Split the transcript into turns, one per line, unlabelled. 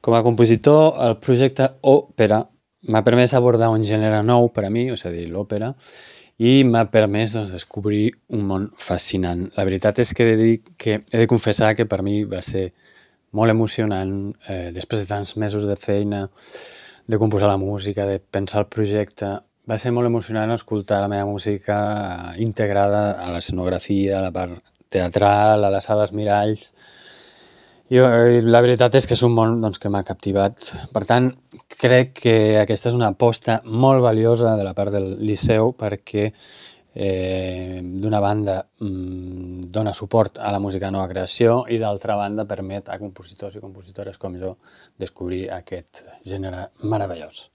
Com a compositor, el projecte Òpera m'ha permès abordar un gènere nou per a mi, és a dir, l'òpera, i m'ha permès descobrir un món fascinant. La veritat és que he de confessar que per mi va ser molt emocionant, després de tants mesos de feina, de composar la música, de pensar el projecte. Va ser molt emocionant escoltar la meva música integrada a l'escenografia, a la part teatral, a les sales miralls. I la veritat és que és un món que m'ha captivat. Per tant, crec que aquesta és una aposta molt valiosa de la part del Liceu perquè d'una banda dona suport a la música nova creació i d'altra banda permet a compositors i compositores com jo descobrir aquest gènere meravellós.